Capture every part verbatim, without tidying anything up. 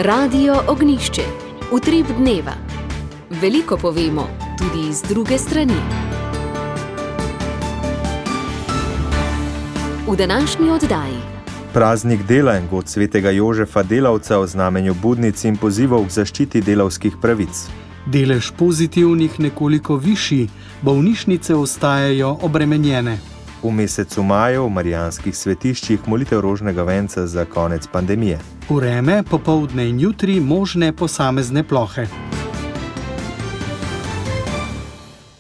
Radio Ognjišče, utrip dneva. Veliko povemo, tudi iz druge strani. V današnji oddaji. Praznik dela in god svetega Jožefa Delavca o znamenju budnic in pozivov k zaščiti delavskih pravic. Delež pozitivnih nekoliko višji, bolnišnice ostajajo obremenjene. V mesecu maju v marijanskih svetiščih molitev rožnega venca za konec pandemije. Vreme, popoldne in jutri možne posamezne plohe.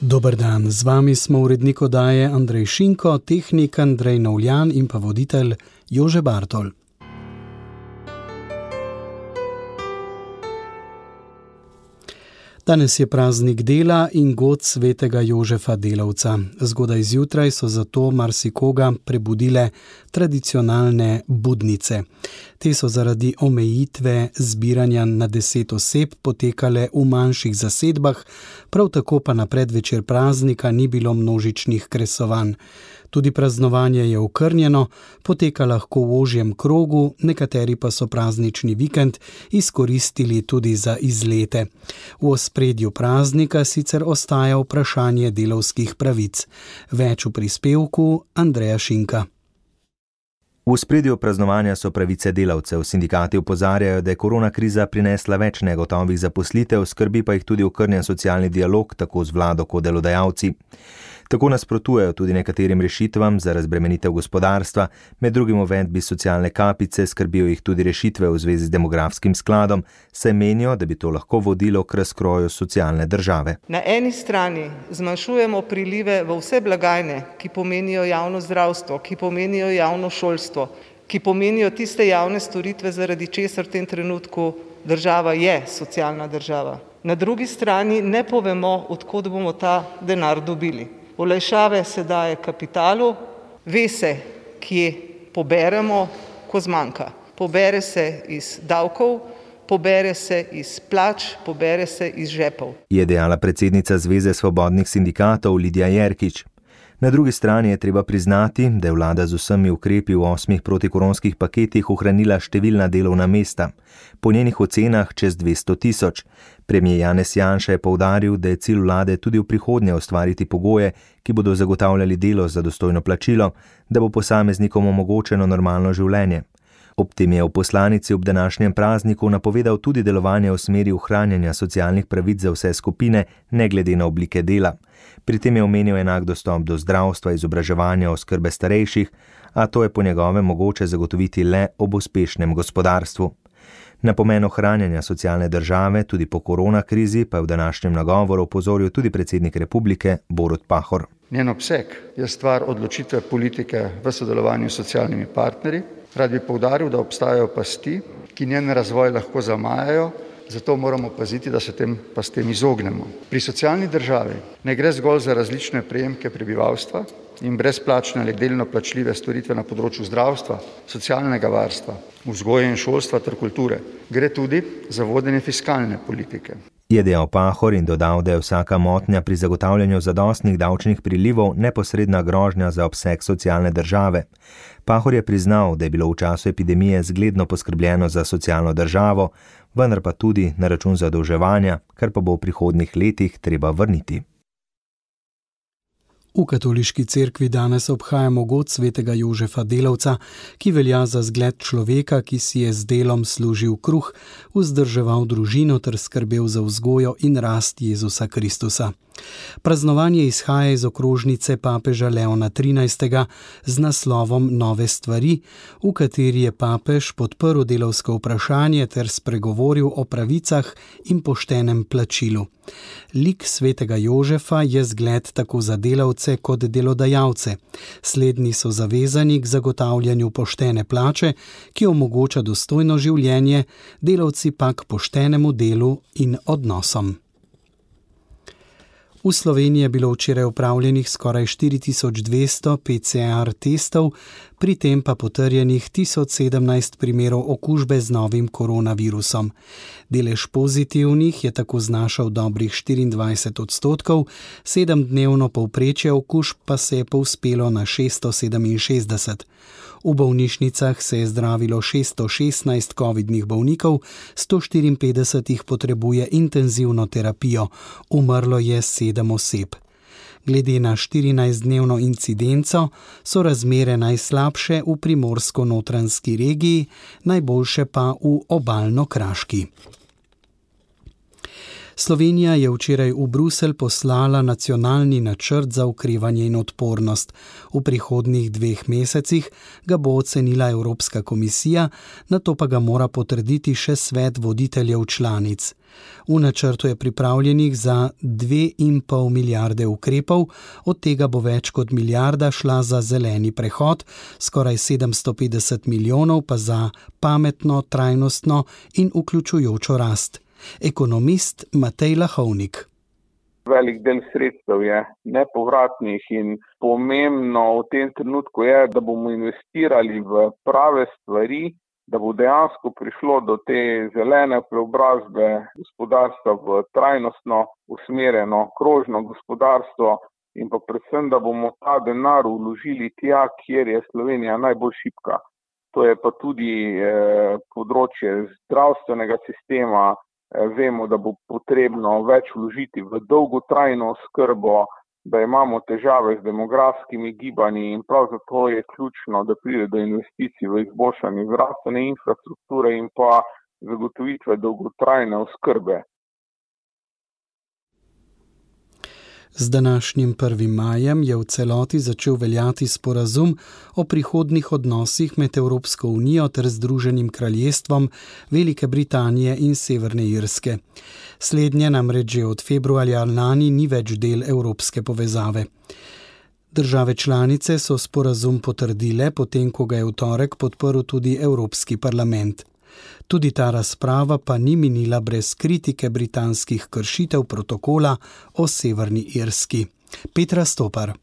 Dober dan, z vami smo urednik oddaje Andrej Šinko, tehnik Andrej Novljan in pa voditelj Jože Bartol. Danes je praznik dela in god svetega Jožefa Delavca. Zgodaj zjutraj so zato marsikoga prebudile tradicionalne budnice. Te so zaradi omejitve zbiranja na deset oseb potekale v manjših zasedbah, prav tako pa na predvečer praznika ni bilo množičnih kresovanj. Tudi praznovanje je okrnjeno, poteka lahko v ožjem krogu, nekateri pa so praznični vikend izkoristili tudi za izlete. V ospredju praznika sicer ostaja vprašanje delavskih pravic. Več v prispevku Andreja Šinka. V ospredju praznovanja so pravice delavcev. Sindikati opozarjajo, da je korona kriza prinesla več negotovih zaposlitev, skrbi pa jih tudi okrnjen socialni dialog, tako z vlado kot delodajalci. Tako nasprotujejo tudi nekaterim rešitvam za razbremenitev gospodarstva, med drugim uvedbi socialne kapice, skrbijo jih tudi rešitve v zvezi z demografskim skladom, saj menijo, da bi to lahko vodilo k razkroju socialne države. Na eni strani zmanjšujemo prilive v vse blagajne, ki pomenijo javno zdravstvo, ki pomenijo javno šolstvo, ki pomenijo tiste javne storitve, zaradi česar v tem trenutku država je socialna država. Na drugi strani ne povemo, od kod bomo ta denar dobili. Olajšave se daje kapitalu, ve se, kje poberemo, ko zmanjka. Pobere se iz davkov, pobere se iz plač, pobere se iz žepov. Je dejala predsednica Zveze svobodnih sindikatov Lidija Jerkič. Na drugi strani je treba priznati, da je vlada z vsemi ukrepi v osmih protikoronskih paketih ohranila številna delovna mesta. Po njenih ocenah čez dvesto tisoč. Premier Janez Janša je poudaril, da je cilj vlade tudi v prihodnje ustvariti pogoje, ki bodo zagotavljali delo za dostojno plačilo, da bo posameznikom omogočeno normalno življenje. Ob tem je v poslanici ob današnjem prazniku napovedal tudi delovanje v smeri ohranjanja socialnih pravic za vse skupine, ne glede na oblike dela. Pri tem je omenil enak dostop do zdravstva, izobraževanja, oskrbe starejših, a to je po njegovem mogoče zagotoviti le ob uspešnem gospodarstvu. Na pomen ohranjanja socialne države tudi po korona krizi pa je v današnjem nagovoru opozoril tudi predsednik republike Borut Pahor. Njen obseg je stvar odločitve politike v sodelovanju s socialnimi partnerji. Rad bi poudaril, da obstajajo pasti, ki njen razvoj lahko zamajajo, zato moramo paziti, da se tem pastem izognemo. Pri socialni državi ne gre zgolj za različne prejemke prebivalstva in brezplačne ali delno plačljive storitve na področju zdravstva, socialnega varstva, vzgoje in šolstva ter kulture. Gre tudi za vodenje fiskalne politike. Je dejal Pahor in dodal, da je vsaka motnja pri zagotavljanju zadostnih davčnih prilivov neposredna grožnja za obseg socialne države. Pahor je priznal, da je bilo v času epidemije zgledno poskrbljeno za socialno državo, vendar pa tudi na račun zadolževanja, kar pa bo v prihodnjih letih treba vrniti. V katoliški cerkvi danes obhajamo god svetega Jožefa Delavca, ki velja za zgled človeka, ki si je z delom služil kruh, vzdrževal družino ter skrbel za vzgojo in rast Jezusa Kristusa. Praznovanje izhaja iz okrožnice papeža Leona trinajstega z naslovom Nove stvari, v kateri je papež podprl delavsko vprašanje ter spregovoril o pravicah in poštenem plačilu. Lik svetega Jožefa je zgled tako za delavce kot delodajalce. Slednji so zavezani k zagotavljanju poštene plače, ki omogoča dostojno življenje, delavci pa k poštenemu delu in odnosom. V Sloveniji je bilo včeraj opravljenih skoraj štiri tisoč dvesto P C R testov, pri tem pa potrjenih tisoč sedemnajst primerov okužbe z novim koronavirusom. Delež pozitivnih je tako znašal dobrih štiriindvajset odstotkov, sedemdnevno povprečje okužb pa se je povzpelo na šeststo sedeminšestdeset. V bolnišnicah se je zdravilo šeststo šestnajst covidnih bolnikov, sto štiriinpetdeset jih potrebuje intenzivno terapijo, umrlo je sedem oseb. Glede na štirinajstdnevno incidenco so razmere najslabše v primorsko-notranjski regiji, najboljše pa v obalno-kraški. Slovenija je včeraj v Bruselj poslala nacionalni načrt za okrevanje in odpornost. V prihodnjih dveh mesecih ga bo ocenila Evropska komisija, nato pa ga mora potrditi še svet voditeljev članic. V načrtu je pripravljenih za dve in pol milijarde ukrepov, od tega bo več kot milijarda šla za zeleni prehod, skoraj sedemsto petdeset milijonov pa za pametno, trajnostno in vključujočo rast. Ekonomist Matej Lahovnik. Velik del sredstev je nepovratnih in pomembno v tem trenutku je, da bomo investirali v prave stvari, da bo dejansko prišlo do te zelene preobrazbe gospodarstva v trajnostno usmerjeno krožno gospodarstvo in pa predvsem, da bomo ta denar vložili tja, kjer je Slovenija najbolj šibka. To je pa tudi eh, področje zdravstvenega sistema. Vemo, da bo potrebno več vložiti v dolgotrajno oskrbo, da imamo težave z demografskimi gibanji in prav zato je ključno, da pride do investicij v izboljšanje zdravstvene infrastrukture in pa zagotovitve dolgotrajne oskrbe. Z današnjim prvim majem je v celoti začel veljati sporazum o prihodnjih odnosih med Evropsko unijo ter Združenim kraljestvom Velike Britanije in Severne Irske. Slednje namreč že od februarja lani ni več del evropske povezave. Države članice so sporazum potrdile, potem ko ga je v torek podprl tudi Evropski parlament. Tudi ta razprava pa ni minila brez kritike britanskih kršitev protokola o Severni Irski. Petra Stopar.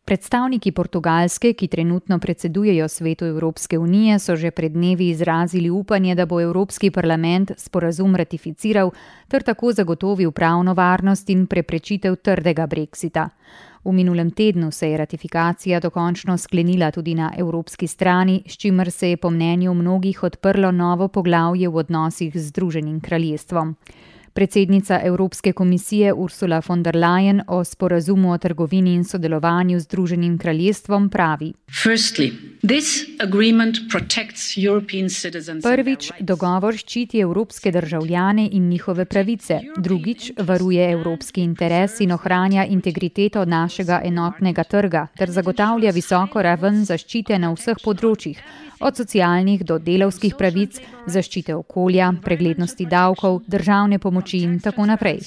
Predstavniki Portugalske, ki trenutno predsedujejo Svetu Evropske unije, so že pred dnevi izrazili upanje, da bo Evropski parlament sporazum ratificiral ter tako zagotovil pravno varnost in preprečitev trdega brexita. V minulem tednu se je ratifikacija dokončno sklenila tudi na evropski strani, s čimer se je po mnenju mnogih odprlo novo poglavje v odnosih z Združenim kraljestvom. Predsednica Evropske komisije Ursula von der Leyen o sporazumu o trgovini in sodelovanju z Združenim kraljestvom pravi: Firstly, this agreement protects European citizens. Prvič, dogovor ščiti evropske državljane in njihove pravice. Drugič, varuje evropski interes in ohranja integriteto našega enotnega trga ter zagotavlja visoko raven zaščite na vseh področjih, od socialnih do delavskih pravic, zaščite okolja, preglednosti davkov, državne pomoči in tako naprej.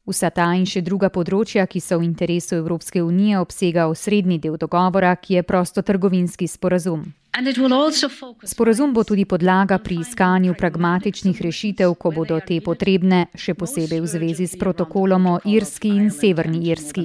Vsa ta in še druga področja, ki so v interesu Evropske unije, obsega osrednji del dogovora, ki je prostotrgovinski sporazum. Sporazum bo tudi podlaga pri iskanju pragmatičnih rešitev, ko bodo te potrebne, še posebej v zvezi s protokolom o Irski in Severni Irski.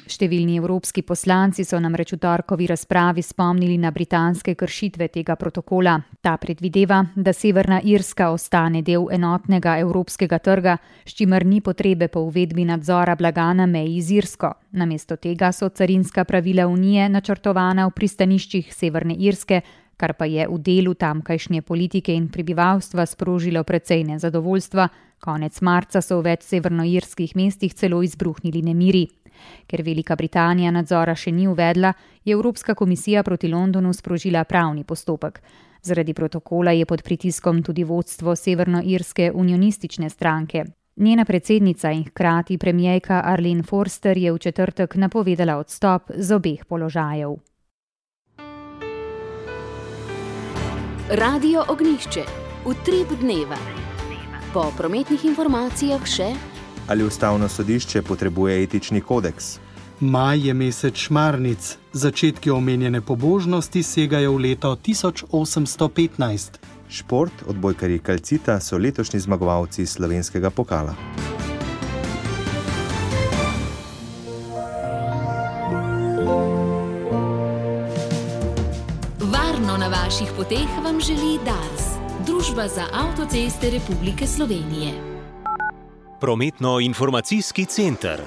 Številni evropski poslanci so namreč v torkovi razpravi spomnili na britanske kršitve tega protokola. Ta predvideva, da Severna Irska ostane del enotnega evropskega trga, s čimer ni potrebe po uvedbi nadzora blaga na meji z Irsko. Namesto tega so carinska pravila Unije načrtovana v pristaniščih Severne Irske, kar pa je v delu tamkajšnje politike in prebivalstva sprožilo precej nezadovoljstva. Konec marca so v več severnoirskih mestih celo izbruhnili nemiri. Ker Velika Britanija nadzora še ni uvedla, je Evropska komisija proti Londonu sprožila pravni postopek. Zaradi protokola je pod pritiskom tudi vodstvo severnoirske unionistične stranke. Njena predsednica in hkrati premierka Arlene Forster je v četrtek napovedala odstop z obeh položajev. Radio Ognjišče, utrip dneva. Po prometnih informacijah še: ali ustavno sodišče potrebuje etični kodeks? Maj je mesec šmarnic. Začetki omenjene pobožnosti segajo v leto tisoč osemsto petnajst. Šport, odbojkarji Kalcita so letošnji zmagovalci slovenskega pokala. na vaših poteh vam želi Dars, Družba za avtoceste Republike Slovenije. Prometno-informacijski center.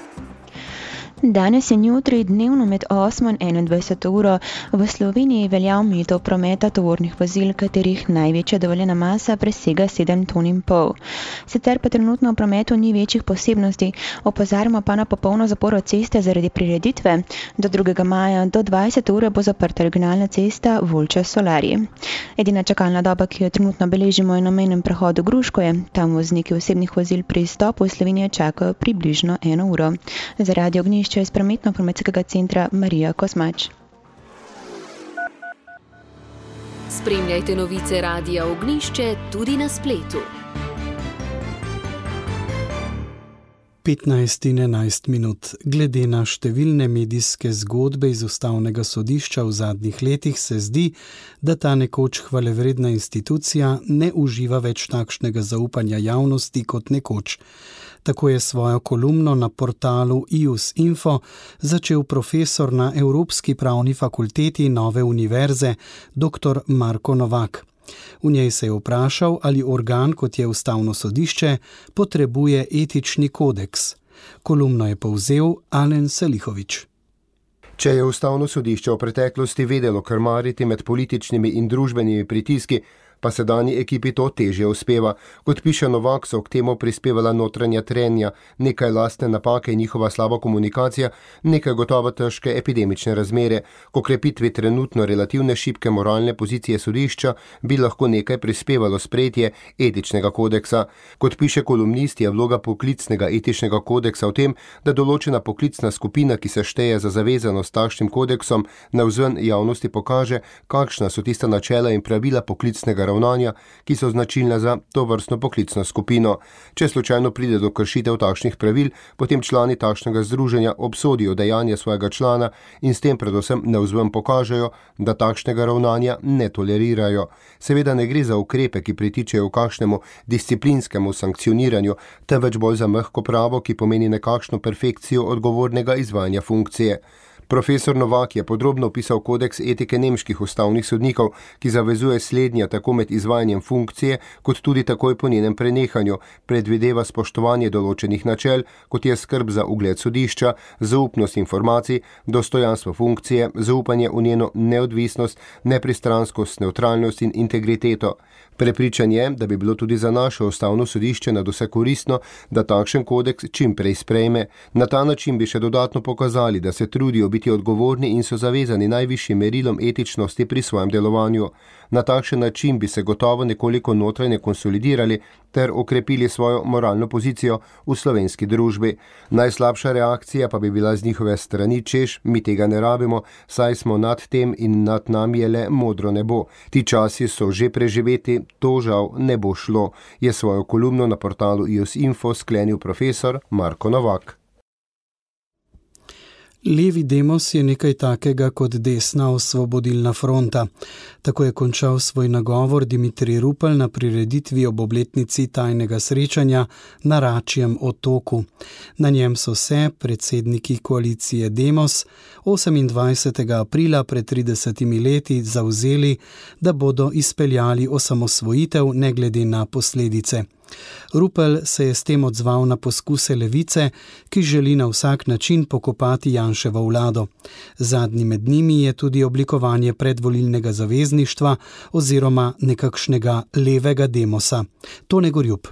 Danes in jutri dnevno med osmo in enaindvajseto uro v Sloveniji velja omejitev prometa tovornih vozil, katerih največja dovoljena masa presega sedem ton in pol. Sicer pa trenutno v prometu ni večjih posebnosti, opozarjamo pa na popolno zaporo ceste zaradi prireditve. Do drugega maja do dvajsete ure bo zaprta regionalna cesta Volča-Solarji. Edina čakalna doba, ki jo trenutno beležimo, je na mejnem prehodu Gruškoje. Tam vozniki osebnih vozil pri izstopu v Slovenijo čakajo približno eno uro. Zaradi ognjišča iz prometno-informacijskega centra Marija Kosmač. Spremljajte novice Radia Ognjišče tudi na spletu. petnajst in enajst minut. Glede na številne medijske zgodbe iz ustavnega sodišča v zadnjih letih se zdi, da ta nekoč hvalevredna institucija ne uživa več takšnega zaupanja javnosti kot nekoč. Tako je svojo kolumno na portalu I U S Info začel profesor na Evropski pravni fakulteti Nove univerze, dr. Marko Novak. V njej se je vprašal, ali organ, kot je ustavno sodišče, potrebuje etični kodeks. Kolumno je povzel Alen Selihovič. Če je ustavno sodišče v preteklosti vedelo krmariti med političnimi in družbenimi pritiski, pa sedanji ekipi to težje uspeva. Kot piše Novak, so k temu prispevala notranja trenja, nekaj lastne napake in njihova slaba komunikacija, nekaj gotovo težke epidemične razmere. Ko krepitvi trenutno relativne šibke moralne pozicije sodišča bi lahko nekaj prispevalo sprejetje etičnega kodeksa. Kot piše kolumnist, je vloga poklicnega etičnega kodeksa v tem, da določena poklicna skupina, ki se šteje za zavezanost takšnim kodeksom, navzven javnosti pokaže, kakšna so tista načela in pravila poklicnega ravnanja, ki so značilna za to vrstno poklicno skupino. Če slučajno pride do kršitev takšnih pravil, potem člani takšnega združenja obsodijo dejanje svojega člana in s tem predvsem navzven pokažejo, da takšnega ravnanja ne tolerirajo. Seveda ne gre za ukrepe, ki pritičejo v kakšnemu disciplinskemu sankcioniranju, temveč bolj za mehko pravo, ki pomeni nekakšno perfekcijo odgovornega izvajanja funkcije. Profesor Novak je podrobno opisal kodeks etike nemških ustavnih sodnikov, ki zavezuje slednja tako med izvajanjem funkcije, kot tudi takoj po njenem prenehanju, predvideva spoštovanje določenih načel, kot je skrb za ugled sodišča, zaupnost informacij, dostojanstvo funkcije, zaupanje v njeno neodvisnost, nepristranskost, nevtralnost in integriteto. Prepričan je, da bi bilo tudi za naše ustavno sodišče nadvse koristno, da takšen kodeks čim prej sprejme. Na ta način bi še dodatno pokazali, da se trudijo biti odgovorni in so zavezani najvišjim merilom etičnosti pri svojem delovanju. Na takšen način bi se gotovo nekoliko notranje konsolidirali ter okrepili svojo moralno pozicijo v slovenski družbi. Najslabša reakcija pa bi bila z njihove strani, češ, mi tega ne rabimo, saj smo nad tem in nad nami je le modro nebo. Ti časi so že preživeti, to žal ne bo šlo, je svojo kolumno na portalu I U S Info sklenil profesor Marko Novak. Levi demos je nekaj takega kot desna osvobodilna fronta. Tako je končal svoj nagovor Dimitrij Rupel na prireditvi ob obletnici tajnega srečanja na Račjem otoku. Na njem so se predsedniki koalicije Demos osemindvajsetega aprila pred tridesetimi leti zavzeli, da bodo izpeljali osamosvojitev ne glede na posledice. Rupel se je s tem odzval na poskuse levice, ki želi na vsak način pokopati Janševo vlado. Zadnji med njimi je tudi oblikovanje predvolilnega zavezništva oziroma nekakšnega levega demosa. Tone Gorjup.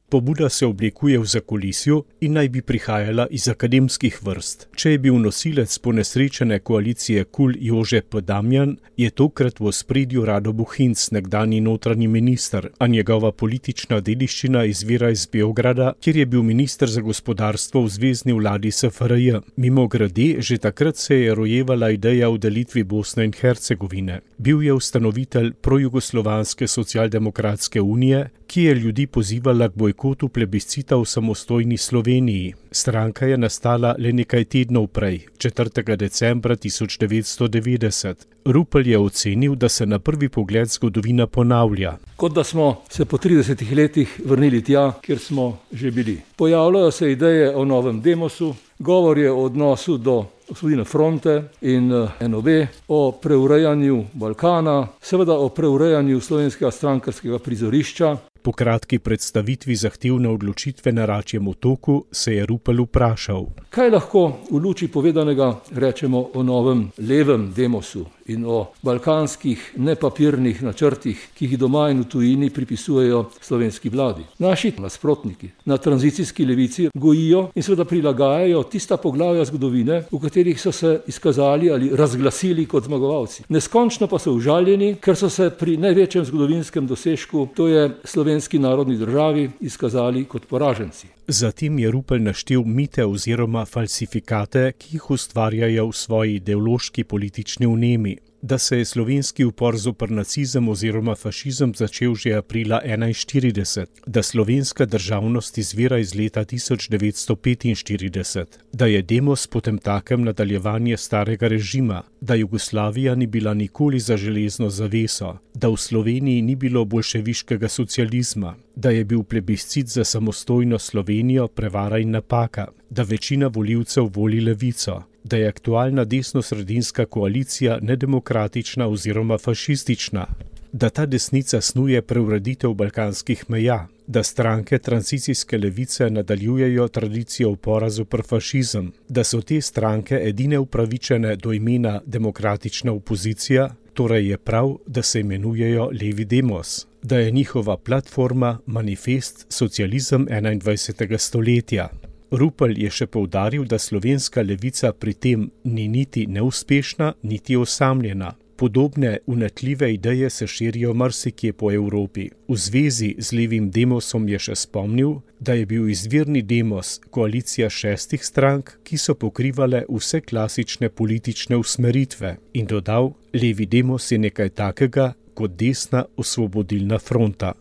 Pobuda se oblikuje v zakulisju in naj bi prihajala iz akademskih vrst. Če je bil nosilec ponesrečene koalicije KUL Jože P. Damjan, je tokrat v ospredju Rado Bohinc, nekdanji notranji minister, a njegova politična dediščina izvira iz Beograda, kjer je bil minister za gospodarstvo v zvezni vladi S F R J. Mimogrede, že takrat se je rojevala ideja o delitvi Bosne in Hercegovine. Bil je ustanovitelj projugoslovanske socialdemokratske unije, ki je ljudi pozivala k bojkotu plebiscita v samostojni Sloveniji. Stranka je nastala le nekaj tednov prej, četrtega decembra tisoč devetsto devetdeset. Rupel je ocenil, da se na prvi pogled zgodovina ponavlja. Kot da smo se po tridesetih letih vrnili tja, kjer smo že bili. Pojavljajo se ideje o novem demosu, Govor je o odnosu do osvobodilne fronte in N O B, o preurejanju Balkana, seveda o preurejanju slovenskega strankarskega prizorišča. Po kratki predstavitvi zahtevne odločitve na Račjem otoku se je Rupel vprašal: kaj lahko v luči povedanega rečemo o novem levem demosu in o balkanskih nepapirnih načrtih, ki jih doma in v tujini pripisujejo slovenski vladi. Naši nasprotniki na tranzicijski levici gojijo in seveda prilagajajo tista poglavja zgodovine, v katerih so se izkazali ali razglasili kot zmagovalci. Neskončno pa so užaljeni, ker so se pri največjem zgodovinskem dosežku, to je slovenski narodni državi, izkazali kot poraženci. Zatem je Rupel naštel mite oziroma falsifikate, ki jih ustvarjajo v svoji ideološki politični vnemi. Da se je slovenski upor zoper nacizem oziroma fašizem začel že aprila enainštirideset, da slovenska državnost izvira iz leta tisoč devetsto petinštirideset, da je demos potemtakem nadaljevanje starega režima, da Jugoslavija ni bila nikoli za železno zaveso, da v Sloveniji ni bilo boljševiškega socializma, da je bil plebiscit za samostojno Slovenijo prevara in napaka, da večina volivcev voli levico, da je aktualna desno-sredinska koalicija nedemokratična oziroma fašistična, da ta desnica snuje preureditev balkanskih meja, da stranke tranzicijske levice nadaljujejo tradicijo upora zoper fašizem, da so te stranke edine upravičene do imena demokratična opozicija, torej je prav, da se imenujejo levi demos, da je njihova platforma manifest socializem enaindvajsetega stoletja. Rupel je še poudaril, da slovenska levica pri tem ni niti neuspešna, niti osamljena. Podobne unetljive ideje se širijo marsikje po Evropi. V zvezi z levim demosom je še spomnil, da je bil izvirni demos koalicija šestih strank, ki so pokrivale vse klasične politične usmeritve, in dodal, levi demos je nekaj takega kot desna osvobodilna fronta.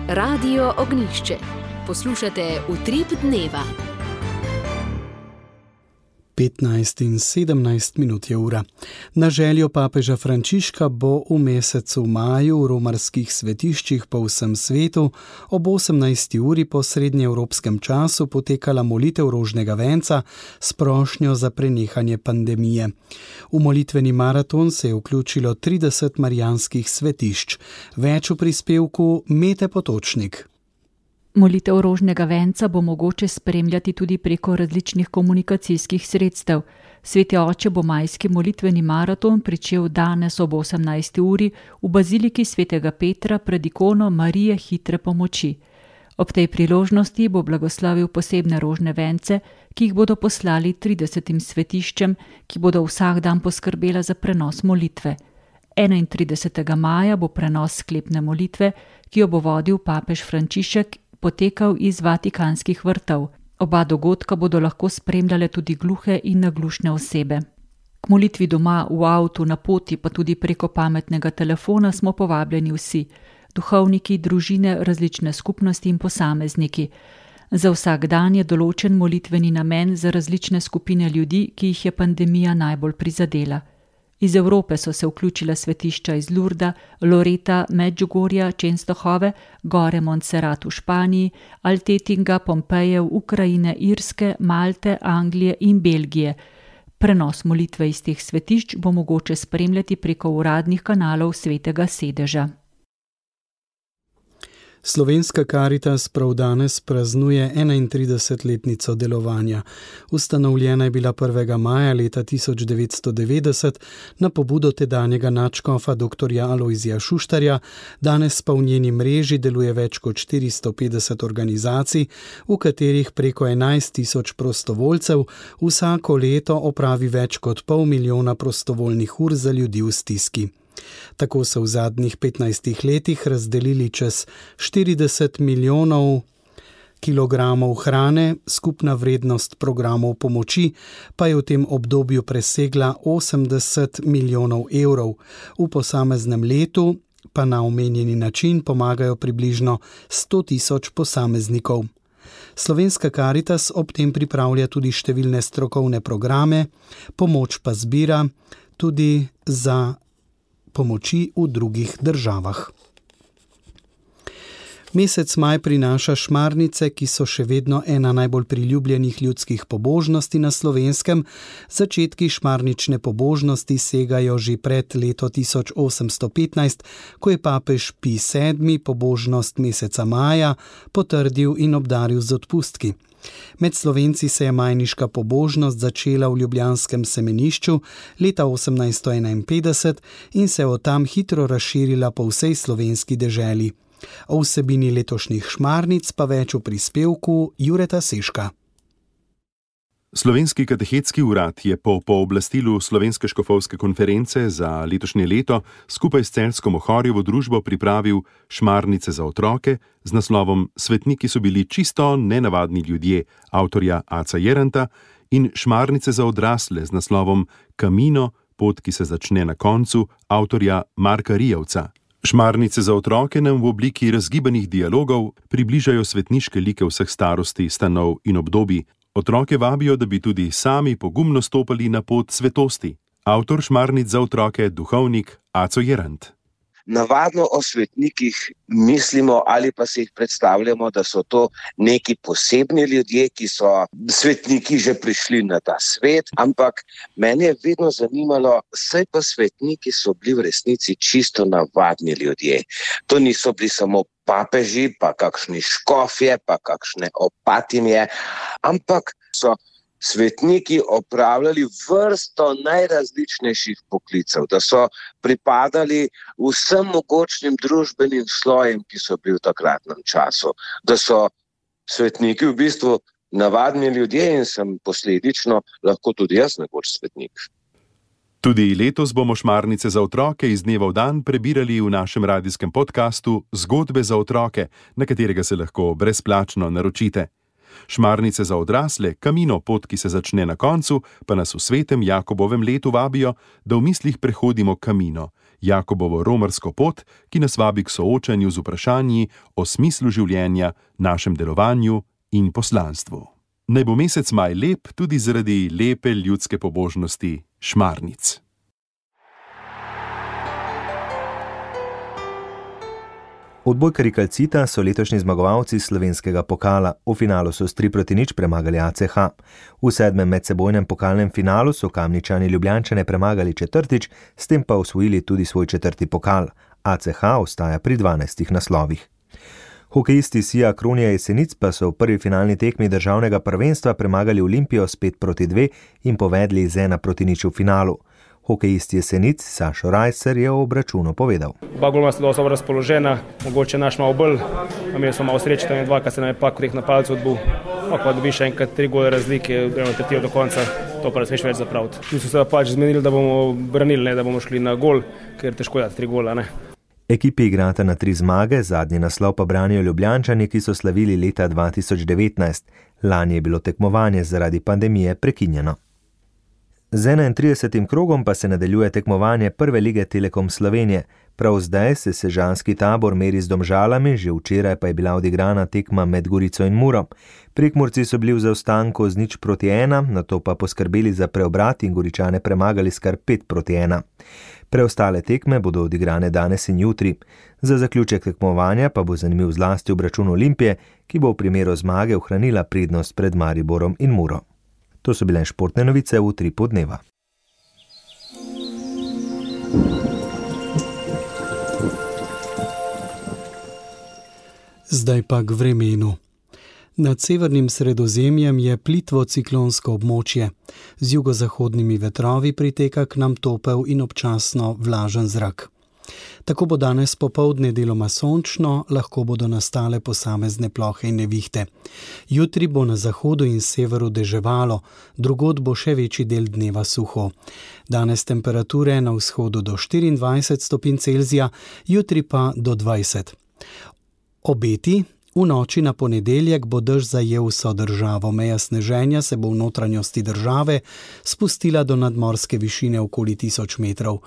Radio Ognjišče. Poslušate Utrip dneva. petnajst in sedemnajst minut je ura. Na željo papeža Frančiška bo v mesecu maju v romarskih svetiščih po vsem svetu ob osemnajsti uri po srednjeevropskem času potekala molitev rožnega venca s prošnjo za prenehanje pandemije. V molitveni maraton se je vključilo trideset marijanskih svetišč. Več v prispevku Mete Potočnik. Molitev rožnega venca bo mogoče spremljati tudi preko različnih komunikacijskih sredstev. Sveti oče bo majski molitveni maraton pričel danes ob osemnajsti uri v baziliki svetega Petra pred ikono Marije hitre pomoči. Ob tej priložnosti bo blagoslavil posebne rožne vence, ki jih bodo poslali tridesetim svetiščem, ki bodo vsak dan poskrbela za prenos molitve. enaintridesetega maja bo prenos sklepne molitve, ki jo bo vodil papež Frančišek, potekal iz vatikanskih vrtov. Oba dogodka bodo lahko spremljale tudi gluhe in naglušne osebe. K molitvi doma, v avtu, na poti, pa tudi preko pametnega telefona smo povabljeni vsi, duhovniki, družine, različne skupnosti in posamezniki. Za vsak dan je določen molitveni namen za različne skupine ljudi, ki jih je pandemija najbolj prizadela. Iz Evrope so se vključila svetišča iz Lurda, Loreta, Medžugorja, Čenstohove, gore Montserrat v Španiji, Altetinga, Pompejev, Ukrajine, Irske, Malte, Anglije in Belgije. Prenos molitve iz teh svetišč bo mogoče spremljati preko uradnih kanalov Svetega sedeža. Slovenska Karitas prav danes praznuje enaintridesetletnico delovanja. Ustanovljena je bila prvega maja leta tisoč devetsto devetdeset na pobudo tedanjega nadškofa doktorja Alojzija Šuštarja, danes pa v njeni mreži deluje več kot štiristo petdeset organizacij, v katerih preko enajst tisoč prostovoljcev vsako leto opravi več kot pol milijona prostovoljnih ur za ljudi v stiski. Tako so v zadnjih petnajstih letih razdelili čez štirideset milijonov kilogramov hrane, skupna vrednost programov pomoči pa je v tem obdobju presegla osemdeset milijonov evrov. V posameznem letu pa na omenjeni način pomagajo približno sto tisoč posameznikov. Slovenska Karitas ob tem pripravlja tudi številne strokovne programe, pomoč pa zbira tudi za pomoči v drugih državah. Mesec maj prinaša šmarnice, ki so še vedno ena najbolj priljubljenih ljudskih pobožnosti na Slovenskem. Začetki šmarnične pobožnosti segajo že pred leto tisoč osemsto petnajst, ko je papež Pij sedmi pobožnost meseca maja potrdil in obdaril z odpustki. Med Slovenci se je majniška pobožnost začela v ljubljanskem semenišču leta osemnajststo enainpetdeset in se od tam hitro razširila po vsej slovenski deželi. O vsebini letošnjih šmarnic pa več v prispevku Jureta Seška. Slovenski katehetski urad je po pooblastilu Slovenske škofovske konference za letošnje leto skupaj s celjsko Mohorjevo družbo pripravil šmarnice za otroke z naslovom Svetniki so bili čisto nenavadni ljudje avtorja Aca Jeranta in šmarnice za odrasle z naslovom Kamino, pot, ki se začne na koncu avtorja Marka Rijevca. Šmarnice za otroke nam v obliki razgibanih dialogov približajo svetniške like vseh starosti, stanov in obdobij. Otroke vabijo, da bi tudi sami pogumno stopali na pot svetosti. Avtor šmarnic za otroke, duhovnik Aco Jerant. Navadno o svetnikih mislimo ali pa si jih predstavljamo, da so to neki posebni ljudje, ki so svetniki že prišli na ta svet, ampak mene je vedno zanimalo, saj pa svetniki so bili v resnici čisto navadni ljudje. To niso bili samo papeži, pa kakšni škofje, pa kakšne opatinje, ampak so svetniki opravljali vrsto najrazličnejših poklicev, da so pripadali vsem mogočnim družbenim slojem, ki so bili v takratnem času, da so svetniki v bistvu navadni ljudje in sem posledično lahko tudi jaz nekoč svetnik. Tudi letos bomo šmarnice za otroke iz dneva v dan prebirali v našem radijskem podkastu Zgodbe za otroke, na katerega se lahko brezplačno naročite. Šmarnice za odrasle, Kamino, pot, ki se začne na koncu, pa nas v svetem Jakobovem letu vabijo, da v mislih prehodimo Kamino, Jakobovo romarsko pot, ki nas vabi k soočanju z vprašanji o smislu življenja, našem delovanju in poslanstvu. Naj bo mesec maj lep tudi zaradi lepe ljudske pobožnosti šmarnic. Odbojkarji Calcita so letošnji zmagovalci slovenskega pokala. V finalu so s tri proti nič premagali A C H. V sedmem medsebojnem pokalnem finalu so Kamničani Ljubljančane premagali četrtič, s tem pa osvojili tudi svoj četrti pokal. A C H ostaja pri dvanajstih naslovih. Hokejisti Sija Kronija Jesenic pa so v prvi finalni tekmi državnega prvenstva premagali Olimpijo s pet proti dve in povedli z ena proti nič v finalu. Hokejist Jesenic Sašo Rajcer je o obračunu povedal. Oba golma sta dosto razpoložena, mogoče naš malo bolj, imeli smo malo sreče, tam je dva, ki se nam je pak vreh na palcu odbil, pa dobi še enkrat tri gole razlike, gremo tretjijo do konca, to pa ne smeš več zapraviti. Mi smo se pač zmenili, da bomo branili, ne, da bomo šli na gol, ker težko dati tri gola, ne. Ekipi igrata na tri zmage, zadnji naslov pa branijo Ljubljančani, ki so slavili leta dva tisoč devetnajst. Lani je bilo tekmovanje zaradi pandemije prekinjeno. Z enaintridesetim krogom pa se nadaljuje tekmovanje Prve lige Telekom Slovenije. Prav zdaj se sežanski tabor meri z Domžalami, že včeraj pa je bila odigrana tekma med Gorico in Muro. Prekmurci so bili v zaostanku z nič proti ena, nato pa poskrbeli za preobrat in Goričane premagali s kar pet proti ena. Preostale tekme bodo odigrane danes in jutri. Za zaključek tekmovanja pa bo zanimiv zlasti obračun Olimpije, ki bo v primeru zmage ohranila prednost pred Mariborom in Muro. To so bile športne novice v Utripu dneva. Zdaj pa k vremenu. Nad severnim Sredozemljem je plitvo ciklonsko območje. Z jugozahodnimi vetrovi priteka k nam topel in občasno vlažen zrak. Tako bo danes popoldne deloma sončno, lahko bodo nastale posamezne plohe in nevihte. Jutri bo na zahodu in severu deževalo, drugod bo še večji del dneva suho. Danes temperature na vzhodu do štiriindvajset stopinj Celzija, jutri pa do dvajset. Obeti. V noči na ponedeljek bo dež zajel vso državo. Meja sneženja se bo v notranjosti države spustila do nadmorske višine okoli tisoč metrov.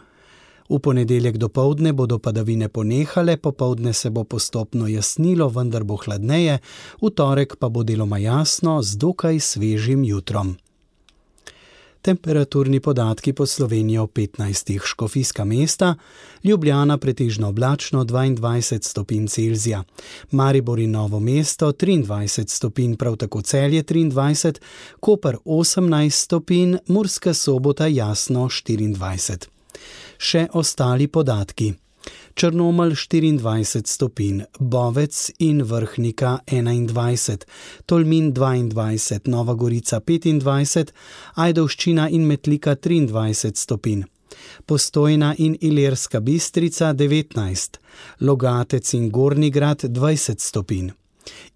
V ponedeljek dopoldne bodo padavine ponehale, popoldne se bo postopno jasnilo, vendar bo hladneje, v torek pa bo deloma jasno z dokaj svežim jutrom. Temperaturni podatki po Sloveniji v petnajstih: Škofijska mesta, Ljubljana pretežno oblačno dvaindvajset stopinj Celzija, Maribor in Novo mesto triindvajset stopinj, prav tako Celje triindvajset, Koper osemnajst stopinj, Murska Sobota jasno štiriindvajset. Še ostali podatki. Črnomelj štiriindvajset stopinj, Bovec in Vrhnika enaindvajset, Tolmin dvaindvajset, Nova Gorica petindvajset, Ajdovščina in Metlika triindvajset stopinj, Postojna in Ilirska Bistrica devetnajst, Logatec in Gornji Grad dvajset stopinj,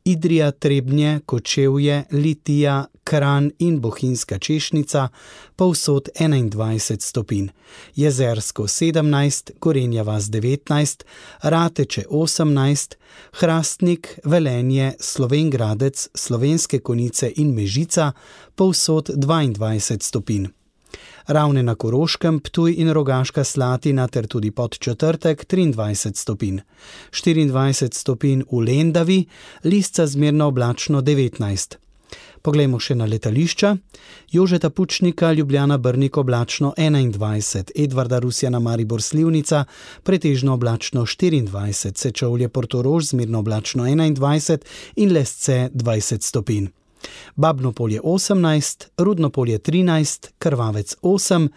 Idrija, Trebnje, Kočevje, Litija, Kranj in Bohinjska Češnica povsod enaindvajset stopinj, Jezersko sedemnajst, Gorenja vas devetnajst, Rateče osemnajst, Hrastnik, Velenje, Slovenj Gradec, Slovenske Konjice in Mežica povsod dvaindvajset stopinj. Ravne na Koroškem, Ptuj in Rogaška Slatina ter tudi Podčetrtek triindvajset stopinj, štiriindvajset stopinj v Lendavi, Lisca zmerno oblačno devetnajst. Poglejmo še na letališča. Jožeta Pučnika, Ljubljana Brnik oblačno enaindvajset, Edvarda Rusjana Maribor Slivnica pretežno oblačno štiriindvajset, Sečovlje Portorož zmerno oblačno enaindvajset in Lesce dvajset stopinj. Babnopolje osemnajst, Rudnopolje trinajst, Krvavec osem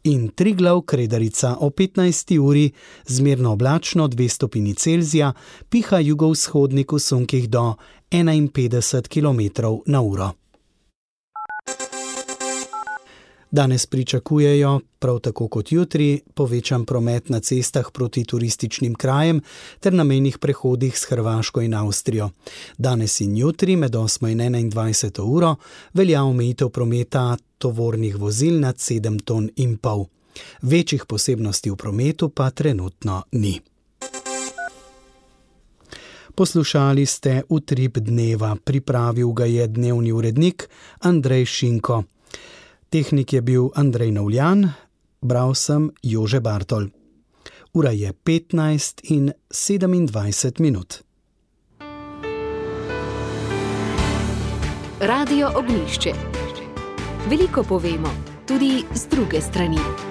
in Triglav Kredarica o petnajsti uri zmerno oblačno dve stopinji Celzija, piha jugovzhodnik v sunkih do enainpetdeset kilometrov na uro. Danes pričakujejo, prav tako kot jutri, povečan promet na cestah proti turističnim krajem ter na mejnih prehodih s Hrvaško in Avstrijo. Danes in jutri med osmo in enaindvajseto uro velja omejitev prometa tovornih vozil nad sedem ton in pol. Večjih posebnosti v prometu pa trenutno ni. Poslušali ste Utrip dneva, pripravil ga je dnevni urednik Andrej Šinko. Tehnik je bil Andrej Novljan, bral sem Jože Bartol. Ura je petnajst in sedemindvajset minut. Radio Ognjišče. Veliko povemo, tudi z druge strani.